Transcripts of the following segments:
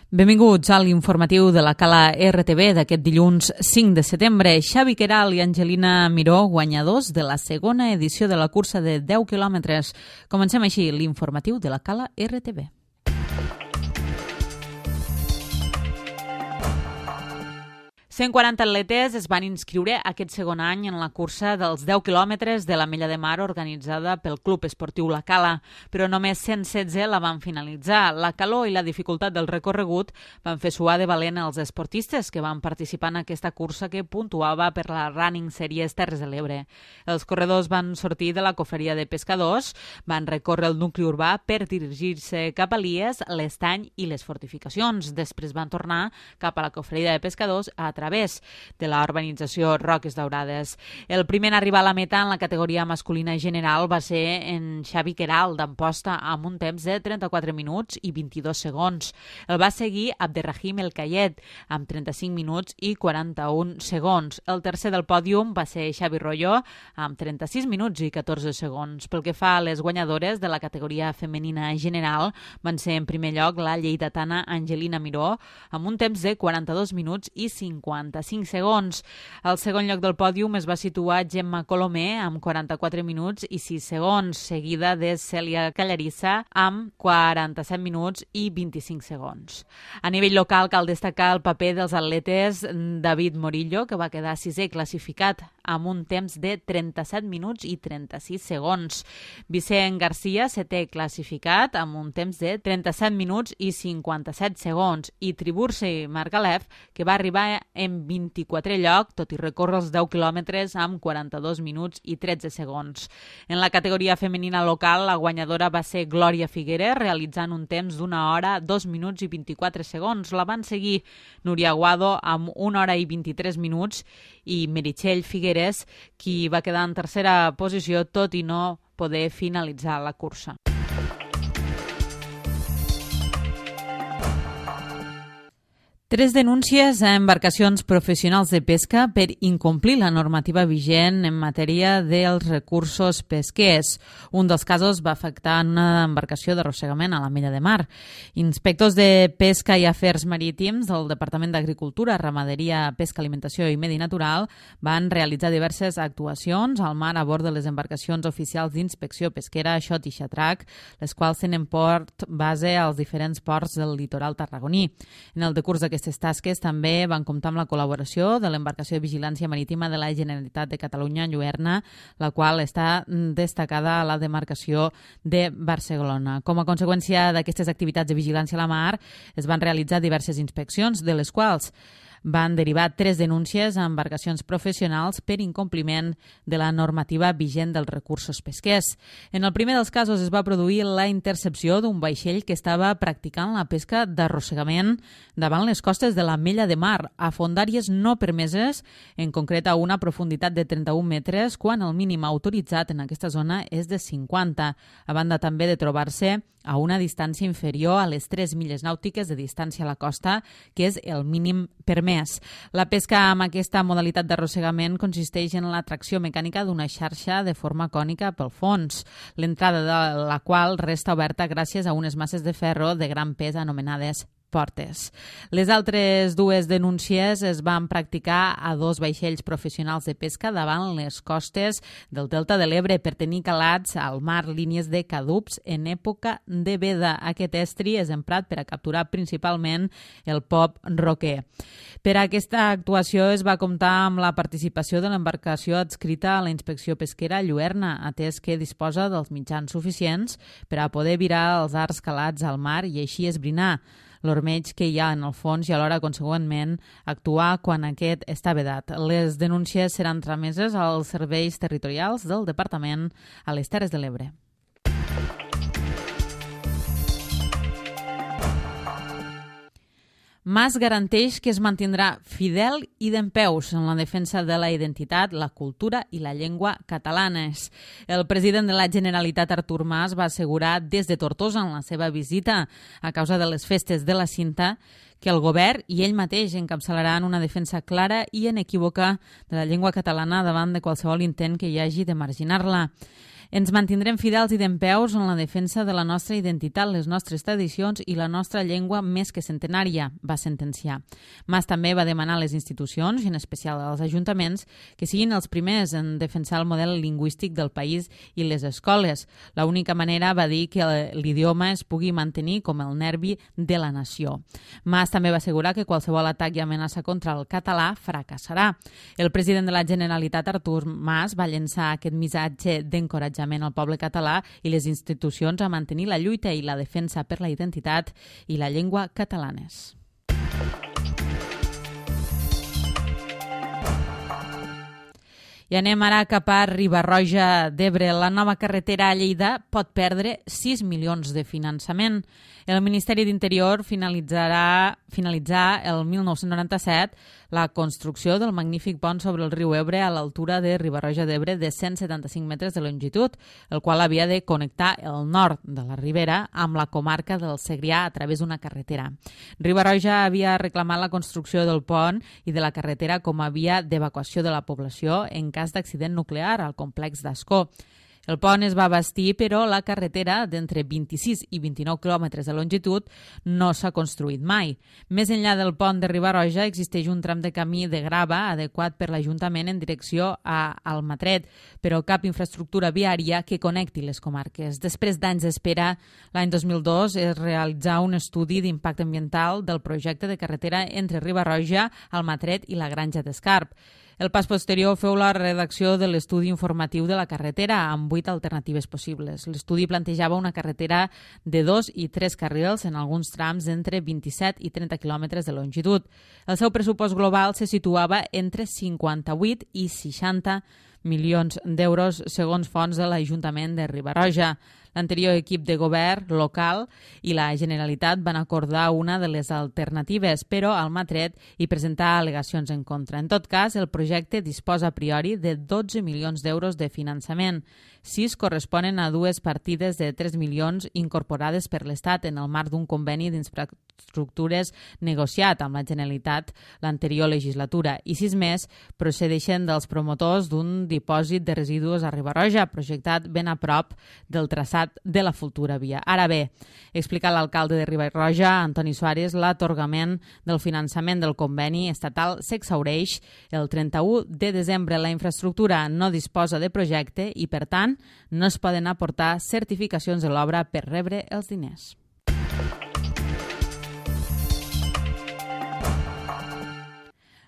Benvinguts a l'informatiu de la Cala RTV d'aquest dilluns 5 de setembre. Xavi Queralt i Angelina Miró, guanyadors de la segona edició de la cursa de 10 quilòmetres. Comencem així l'informatiu de la Cala RTV. Cent 140 atletes es van inscriure aquest segon any en la cursa dels 10 quilòmetres de l'Ametlla de Mar organitzada pel Club Esportiu La Cala, però només 116 la van finalitzar. La calor i la dificultat del recorregut van fer suar de valent els esportistes que van participar en aquesta cursa que puntuava per la Running Series Terres de l'Ebre. Els corredors van sortir de la cofreria de pescadors, van recórrer el nucli urbà per dirigir-se cap a Lies, l'Estany i les fortificacions. Després van tornar cap a la cofreria de pescadors a través de la urbanització Roques Daurades. El primer en arribar a la meta en la categoria masculina general va ser en Xavi Queralt d'Amposta amb un temps de 34 minuts i 22 segons. El va seguir Abderrahim El Kayet amb 35 minuts i 41 segons. El tercer del pòdium va ser Xavi Royo amb 36 minuts i 14 segons. Pel que fa a les guanyadores de la categoria femenina general van ser en primer lloc la lleidatana Angelina Miró amb un temps de 42 minuts i 55 segons. Al segon lloc del pòdium es va situar Gemma Colomer amb 44 minuts i 6 segons, seguida de Cèlia Callarissa amb 47 minuts i 25 segons. A nivell local cal destacar el paper dels atletes David Morillo, que va quedar sisè classificat amb un temps de 37 minuts i 36 segons. Vicent Garcia, setè classificat amb un temps de 37 minuts i 57 segons. I Tiburci Margalef, que va arribar en 24è lloc, tot i recórrer els 10 quilòmetres amb 42 minuts i 13 segons. En la categoria femenina local, la guanyadora va ser Glòria Figueres, realitzant un temps d'una hora, 2 minuts i 24 segons. La van seguir Núria Aguado amb 1 hora i 23 minuts i Meritxell Figueres, qui va quedar en tercera posició, tot i no poder finalitzar la cursa. Tres denúncies a embarcacions professionals de pesca per incomplir la normativa vigent en matèria dels recursos pesquers. Un dels casos va afectar una embarcació d'arrossegament a l'Ametlla de Mar. Inspectors de Pesca i Afers Marítims del Departament d'Agricultura, Ramaderia, Pesca, Alimentació i Medi Natural van realitzar diverses actuacions al mar a bord de les embarcacions oficials d'inspecció pesquera Xot i Xatrac, les quals tenen port base als diferents ports del litoral tarragoní. En el decurs d'aquestes tasques també van comptar amb la col·laboració de l'embarcació de vigilància marítima de la Generalitat de Catalunya, Lluerna, la qual està destacada a la demarcació de Barcelona. Com a conseqüència d'aquestes activitats de vigilància a la mar, es van realitzar diverses inspeccions, de les quals van derivar 3 denúncies a embarcacions professionals per incompliment de la normativa vigent dels recursos pesquers. En el primer dels casos es va produir la intercepció d'un vaixell que estava practicant la pesca d'arrossegament davant les costes de l'Ametlla de Mar, a fondàries no permeses, en concret a una profunditat de 31 metres, quan el mínim autoritzat en aquesta zona és de 50, a banda també de trobar-se a una distància inferior a les 3 milles nàutiques de distància a la costa, que és el mínim permès. La pesca amb aquesta modalitat d'arrossegament consisteix en la tracció mecànica d'una xarxa de forma cònica pel fons, l'entrada de la qual resta oberta gràcies a unes masses de ferro de gran pes anomenades portes. Les altres dues denúncies es van practicar a 2 vaixells professionals de pesca davant les costes del Delta de l'Ebre per tenir calats al mar línies de cadups en època de veda. Aquest estri és emprat per a capturar principalment el pop roquer. Per a aquesta actuació es va comptar amb la participació de l'embarcació adscrita a la inspecció pesquera Lluerna, atès que disposa dels mitjans suficients per a poder virar els arcs calats al mar i així esbrinar l'ormeig que hi ha en el fons i alhora, consegüentment, actuar quan aquest està vedat. Les denúncies seran trameses als serveis territorials del Departament a les Terres de l'Ebre. Mas garanteix que es mantindrà fidel i dempeus en la defensa de la identitat, la cultura i la llengua catalanes. El president de la Generalitat, Artur Mas, va assegurar des de Tortosa en la seva visita a causa de les festes de la Cinta que el govern i ell mateix encapçalaran una defensa clara i inequívoca de la llengua catalana davant de qualsevol intent que hi hagi de marginar-la. Ens mantindrem fidels i dempeus en la defensa de la nostra identitat, les nostres tradicions i la nostra llengua més que centenària, va sentenciar. Mas també va demanar a les institucions, i en especial als ajuntaments, que siguin els primers en defensar el model lingüístic del país i les escoles. L'única manera, va dir, que l'idioma es pugui mantenir com el nervi de la nació. Mas també va assegurar que qualsevol atac i amenaça contra el català fracassarà. El president de la Generalitat, Artur Mas, va llençar aquest missatge d'encoratjament al poble català i les institucions a mantenir la lluita i la defensa per la identitat i la llengua catalanes. I anem ara cap a Riba-roja d'Ebre. La nova carretera a Lleida pot perdre 6 milions de finançament. El Ministeri d'Interior finalitzà el 1997 la construcció del magnífic pont sobre el riu Ebre a l'altura de Riba-roja d'Ebre de 175 metres de longitud, el qual havia de connectar el nord de la Ribera amb la comarca del Segrià a través d'una carretera. Riba-roja havia reclamat la construcció del pont i de la carretera com a via d'evacuació de la població en cas d'accident nuclear al complex d'Ascó. El pont es va bastir, però la carretera d'entre 26 i 29 quilòmetres de longitud no s'ha construït mai. Més enllà del pont de Riba-roja existeix un tram de camí de grava adequat per l'Ajuntament en direcció a Almatret, però cap infraestructura viària que connecti les comarques. Després d'anys d'espera, l'any 2002 es realitzà un estudi d'impacte ambiental del projecte de carretera entre Riba-roja, Almatret i la Granja d'Escarp. El pas posterior feu la redacció de l'estudi informatiu de la carretera amb 8 alternatives possibles. L'estudi plantejava una carretera de 2 i 3 carrils en alguns trams d'entre 27 i 30 quilòmetres de longitud. El seu pressupost global se situava entre 58 i 60 milions d'euros segons fonts de l'Ajuntament de Riba-roja. L'anterior equip de govern local i la Generalitat van acordar una de les alternatives, però Almatret hi presentà al·legacions en contra. En tot cas, el projecte disposa a priori de 12 milions d'euros de finançament. 6 corresponen a dues partides de 3 milions incorporades per l'Estat en el marc d'un conveni d'infraestructures negociat amb la Generalitat l'anterior legislatura i 6 més procedeixen dels promotors d'un dipòsit de residus a Riba-roja, projectat ben a prop del traçat de la futura via. Ara bé, explica l'alcalde de Riba-roja, Antoni Suárez, l'atorgament del finançament del conveni estatal s'exhaureix el 31 de desembre. La infraestructura no disposa de projecte i, per tant, no es poden aportar certificacions de l'obra per rebre els diners.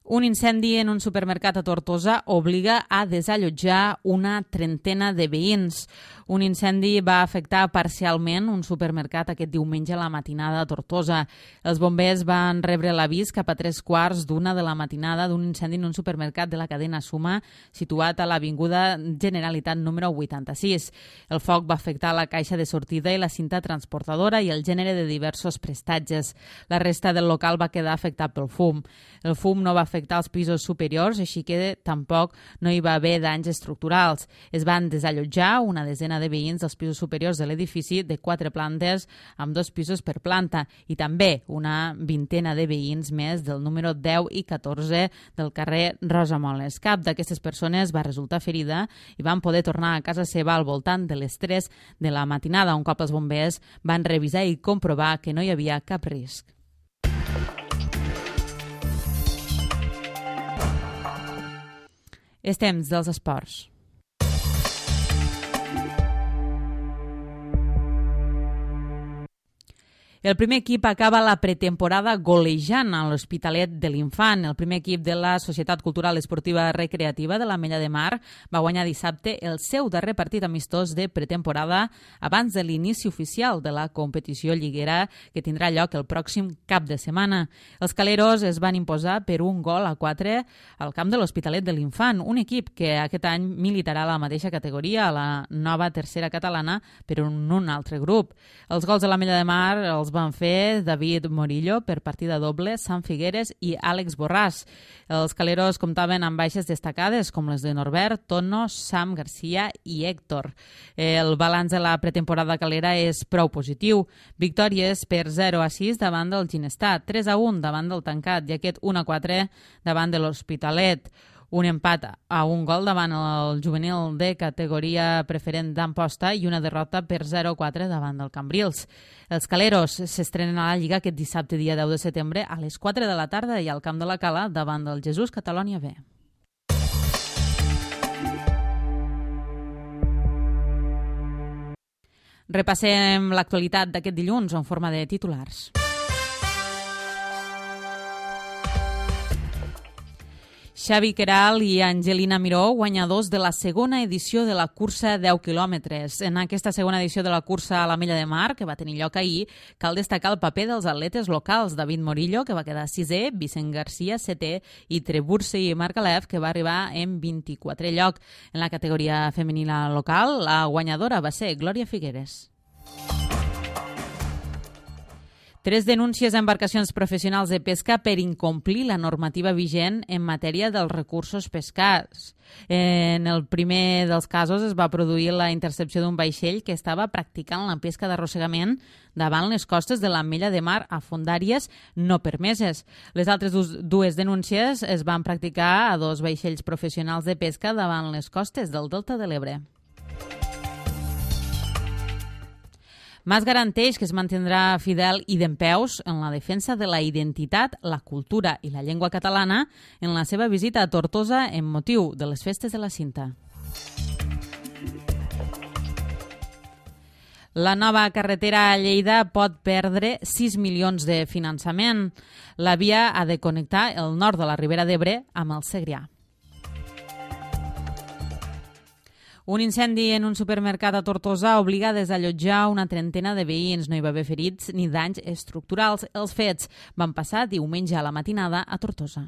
Un incendi en un supermercat a Tortosa obliga a desallotjar una trentena de veïns. Un incendi va afectar parcialment un supermercat aquest diumenge a la matinada a Tortosa. Els bombers van rebre l'avís cap a 3:15 de la matinada d'un incendi en un supermercat de la cadena Suma situat a l'Avinguda Generalitat número 86. El foc va afectar la caixa de sortida i la cinta transportadora i el gènere de diversos prestatges. La resta del local va quedar afectat pel fum. El fum no va afectar els pisos superiors, així que tampoc no hi va haver danys estructurals. Es van desallotjar una desena de veïns dels pisos superiors de l'edifici de 4 plantes amb 2 pisos per planta i també una vintena de veïns més del número 10 i 14 del carrer Rosa Moles. Cap d'aquestes persones va resultar ferida i van poder tornar a casa seva al voltant de les 3 de la matinada, un cop els bombers van revisar i comprovar que no hi havia cap risc. És temps dels esports. El primer equip acaba la pretemporada golejant a l'Hospitalet de l'Infant. El primer equip de la Societat Cultural Esportiva Recreativa de l'Ametlla de Mar va guanyar dissabte el seu darrer partit amistós de pretemporada abans de l'inici oficial de la competició lliguera que tindrà lloc el pròxim cap de setmana. Els caleros es van imposar per 1-4 al camp de l'Hospitalet de l'Infant, un equip que aquest any militarà a la mateixa categoria, a la nova tercera catalana, però en un altre grup. Els gols de l'Ametlla de Mar els van fer David Morillo per partida doble, Sam Figueres i Àlex Borràs. Els caleros comptaven amb baixes destacades com les de Norbert, Tono, Sam Garcia i Héctor. El balanç de la pretemporada calera és prou positiu. Victòries per 0-6 davant del Ginestar, 3-1 davant del Tancat i aquest 1-4 davant de l'Hospitalet. Un empat a un gol davant el juvenil de categoria preferent d'Amposta i una derrota per 0-4 davant del Cambrils. Els caleros s'estrenen a la Lliga aquest dissabte, dia 10 de setembre, a les 4 de la tarda i al Camp de la Cala davant del Jesús Catalònia B. Repassem l'actualitat d'aquest dilluns en forma de titulars. Xavi Queralt i Angelina Miró, guanyadors de la segona edició de la cursa 10 quilòmetres. En aquesta segona edició de la cursa a l'Ametlla de Mar, que va tenir lloc ahir, cal destacar el paper dels atletes locals, David Morillo, que va quedar 6è, Vicent Garcia, 7è, i Treburse i Marc Alef, que va arribar en 24è lloc. En la categoria femenina local, la guanyadora va ser Glòria Figueres. 3 denúncies a embarcacions professionals de pesca per incomplir la normativa vigent en matèria dels recursos pescats. En el primer dels casos es va produir la intercepció d'un vaixell que estava practicant la pesca d'arrossegament davant les costes de l'Ametlla de Mar a fondàries no permeses. Les altres dues denúncies es van practicar a 2 vaixells professionals de pesca davant les costes del Delta de l'Ebre. Mas garanteix que es mantindrà fidel i dempeus en la defensa de la identitat, la cultura i la llengua catalana en la seva visita a Tortosa en motiu de les festes de la Cinta. La nova carretera a Lleida pot perdre 6 milions de finançament. La via ha de connectar el nord de la Ribera d'Ebre amb el Segrià. Un incendi en un supermercat a Tortosa obliga a desallotjar una trentena de veïns. No hi va haver ferits ni danys estructurals. Els fets van passar diumenge a la matinada a Tortosa.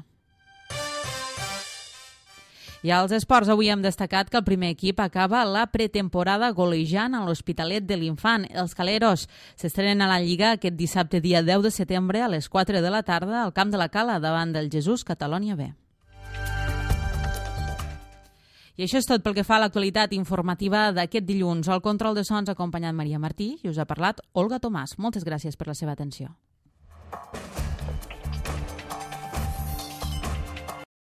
I als esports avui hem destacat que el primer equip acaba la pretemporada golejant a l'Hospitalet de l'Infant. Els caleros s'estrenen a la Lliga aquest dissabte, dia 10 de setembre, a les 4 de la tarda al Camp de la Cala davant del Jesús Catalònia B. I això és tot pel que fa a l'actualitat informativa d'aquest dilluns. Al control de sons ha acompanyat Maria Martí i us ha parlat Olga Tomàs. Moltes gràcies per la seva atenció.